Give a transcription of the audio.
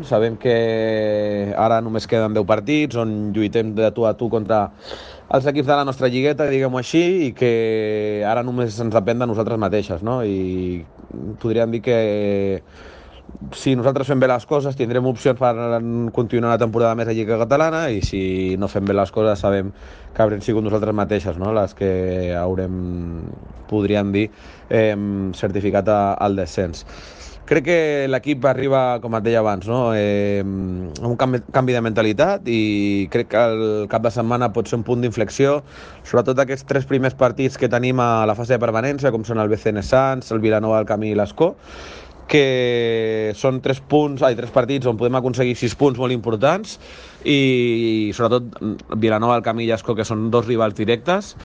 Sabem que ara només queden 10 partits on lluitem de tu a tu contra els equips de la nostra lligueta, diguem-ho així, i que ara només ens depèn de nosaltres mateixes, no? I podríem dir que si nosaltres fem bé les coses tindrem opcions per continuar una temporada més a Lliga Catalana, i si no fem bé les coses sabem que haurem sigut nosaltres mateixes, no?, les que haurem, podríem dir, certificat el descens. Crec que l'equip arriba, com et deia abans, no?, amb un canvi de mentalitat, i crec que el cap de setmana pot ser un punt d'inflexió, sobretot aquests 3 primers partits que tenim a la fase de permanència, com són el BCN Sants, el Vilanova, el Camí i l'Escó, que són 3 partits on podem aconseguir 6 punts molt importants, i sobretot Vilanova, el Camí i l'Escó, que són 2 rivals directes.